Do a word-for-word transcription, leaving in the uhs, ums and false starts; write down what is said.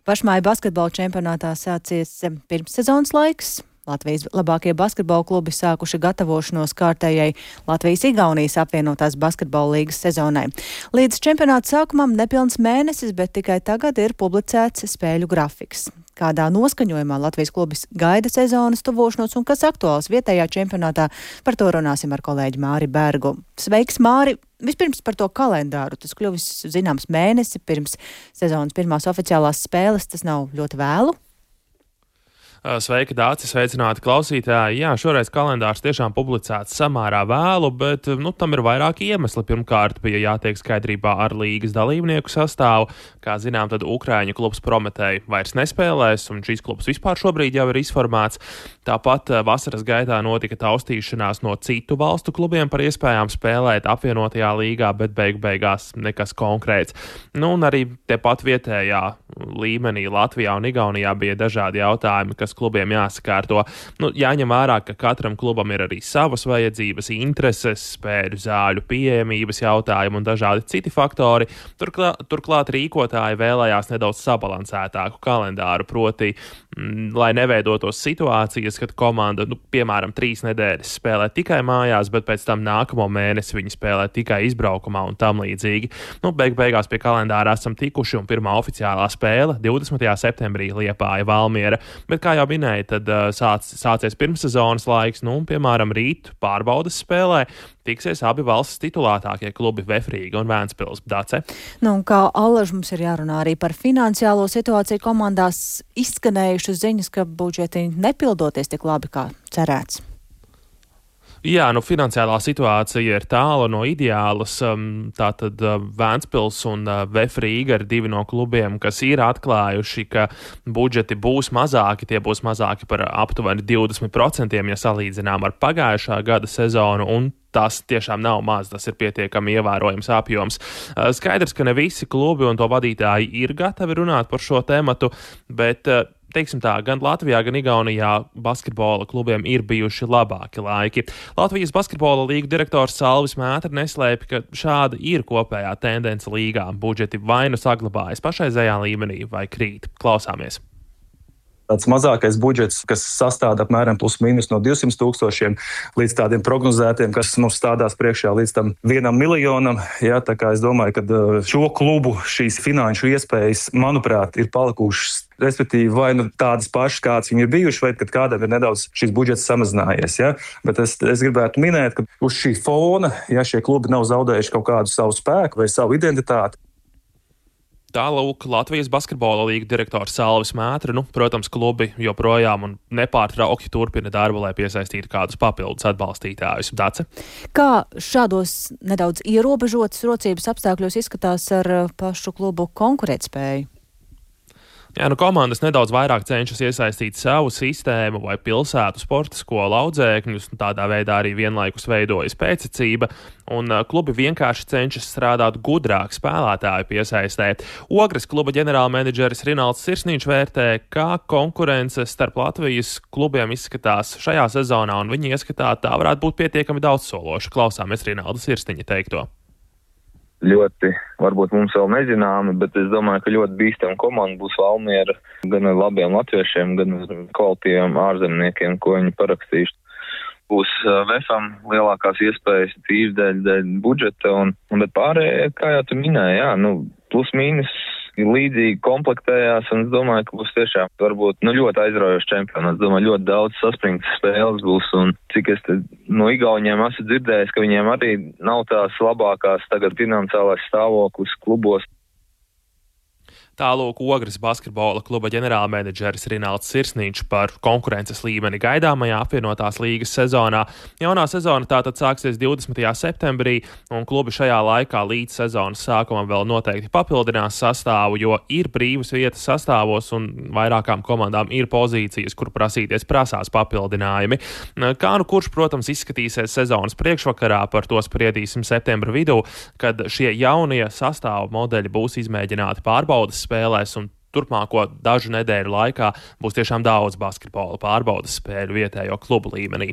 Pašmāju basketbola čempionātā sācies pirmssezonas laiks. Latvijas labākie basketbola klubi sākuši gatavošanos kārtējai Latvijas-Igaunijas apvienotās basketbola līgas sezonai. Līdz čempionāta sākumam nepilns mēnesis, bet tikai tagad ir publicēts spēļu grafiks. Kādā noskaņojumā Latvijas klubis gaida sezonas tuvošanos un kas aktuāls vietējā čempionātā, par to runāsim ar kolēģi Māri Bergu. Sveiks, Māri! Vispirms par to kalendāru. Tas kļuvis zināms mēnesi pirms sezonas pirmās oficiālās spēles. Tas nav ļoti vēlu? Sveiki, Dāci, sveicināti klausītāji. Jā, šoreiz kalendārs tiešām publicēts samērā vēlu, bet nu, tam ir vairāki iemesli. Pirmkārt, bija jātiek skaidrībā ar līgas dalībnieku sastāvu. Kā zinām, tad Ukraiņu klubs Prometēja vairs nespēlēs, un šīs klubs vispār šobrīd jau ir izformēts. Tāpat vasaras gaitā notika taustīšanās no citu valstu klubiem par iespējām spēlēt apvienotajā līgā, bet beigu beigās nekas konkrēts. Nu, un arī tepat vietējā līmenī Latvijā un Igaunijā bija dažādi jautājumi, kas klubiem jāsakārto. Nu, jāņem vērā, ka katram klubam ir arī savas vajadzības, intereses, spēļu zāļu pieejamības jautājumi un dažādi citi faktori. Turklā, turklāt rīkotāji vēlējās nedaudz sabalansētāku kalendāru, proti, m, lai neveidotos situācijas, kad komanda, nu, piemēram, trīs nedēļas spēlē tikai mājās, bet pēc tam nākamo mēnesi viņi spēlē tikai izbraukumā un tam līdzīgi. Nu, beig beigās pie kalendāra esam tikuši un pirmā oficiālā spēle divdesmitajā septembrī Liepāja Valmiera, bet kā jau minēja, tad uh, sāc, sācies pirmssezonas laiks, nu, piemēram, rīt pārbaudes spēlē tiksies abi valsts titulētākie klubi Vefrīga un Vēncpils. Dace? Nu, un kā allaž mums ir jārunā arī par finansiālo situāciju komandās, izskanējušas ziņas, ka budžeti nepildoties tik labi, kā cerēts. Jā, nu finansiālā situācija ir tālu no ideālas. Tātad Vēncpils un Vefrīga ir divi no klubiem, kas ir atklājuši, ka budžeti būs mazāki. Tie būs mazāki par aptuveni divdesmit procentiem, ja salīdzinām ar pagājušā gada sezonu, un tas tiešām nav maz, tas ir pietiekami ievērojams apjoms. Skaidrs, ka ne visi klubi un to vadītāji ir gatavi runāt par šo tematu, bet teiksim tā, gan Latvijā, gan Igaunijā basketbola klubiem ir bijuši labāki laiki. Latvijas basketbola līgu direktors Salvis Mētra neslēpj, ka šāda ir kopējā tendence līgā. Budžeti vai nu saglabājas pašreizējā līmenī vai krīt. Klausāmies. Tāds mazākais budžets, kas sastāda apmēram plus mīnus no divsimt tūkstošiem līdz tādiem prognozētiem, kas mums stādās priekšā līdz tam vienam miljonam. Jā, tā kā es domāju, ka šo klubu šīs finanšu iespējas, manuprāt, ir palikušas, respektīvi vai nu tādas pašas, kādas viņi ir bijuši, vai kad kādam ir nedaudz šis budžets samazinājies. Ja? Bet es, es gribētu minēt, ka uz šī fona, ja šie klubi nav zaudējuši kaut kādu savu spēku vai savu identitāti. Tālūk Latvijas basketbola līga direktors Salvis Mētra. Nu, protams, klubi joprojām un nepārtraukti turpina darbu, lai piesaistītu kādus papildus atbalstītājus. Dace? Kā šādos nedaudz ierobežotas rocības apstākļos izskatās ar pašu klubu konkurētspēju? Jā, nu komandas nedaudz vairāk cenšas iesaistīt savu sistēmu vai pilsētu sporta skolu audzēkņus, un tādā veidā arī vienlaikus veidojas pēctecība, un klubi vienkārši cenšas strādāt gudrāk spēlētāju piesaistē. Ogres kluba ģenerālmenedžeris Rinalds Sirsniņš vērtē, kā konkurence starp Latvijas klubiem izskatās šajā sezonā, un viņa ieskatā tā varētu būt pietiekami daudzsološa. Klausāmies Rinalda Sirsniņa teikto. Ļoti, varbūt mums vēl nezināmi, bet es domāju, ka ļoti bīstama komanda būs Valmiera gan ar labiem latviešiem, gan ar kvalitīviem ārzemniekiem, ko viņi parakstījuši. Būs Vefam lielākās iespējas tīri dēļ, dēļ budžeta, un, un bet pārējie, kā jau tu minēji, jā, nu, plus mīnus līdzīgi komplektējās, un es domāju, ka būs tiešām varbūt nu, ļoti aizraujošs čempionāts. Es domāju, ļoti daudz saspringtas spēles būs, un cik es te no Igauņiem esmu dzirdējis, ka viņiem arī nav tās labākās tagad finansiālais stāvoklis klubos. Tālūk Ogres basketbola kluba ģenerālmenedžeris Rinalds Sirsniņš par konkurences līmeni gaidāmajā apvienotās līgas sezonā. Jaunā sezona tātad sāksies divdesmitajā septembrī, un klubi šajā laikā līdz sezonas sākumam vēl noteikti papildinās sastāvu, jo ir brīvas vietas sastāvos un vairākām komandām ir pozīcijas, kur prasīties prasās papildinājumi. Kā nu kurš, protams, izskatīsies sezonas priekšvakarā, par to spriedīsim septembra vidū, kad šie jaunie sastāvu modeļi būs izmēģināti pārbaudas spēlēs, un turpmāko dažu nedēļu laikā būs tiešām daudz basketbola pārbaudas spēļu vietējo klubu līmenī.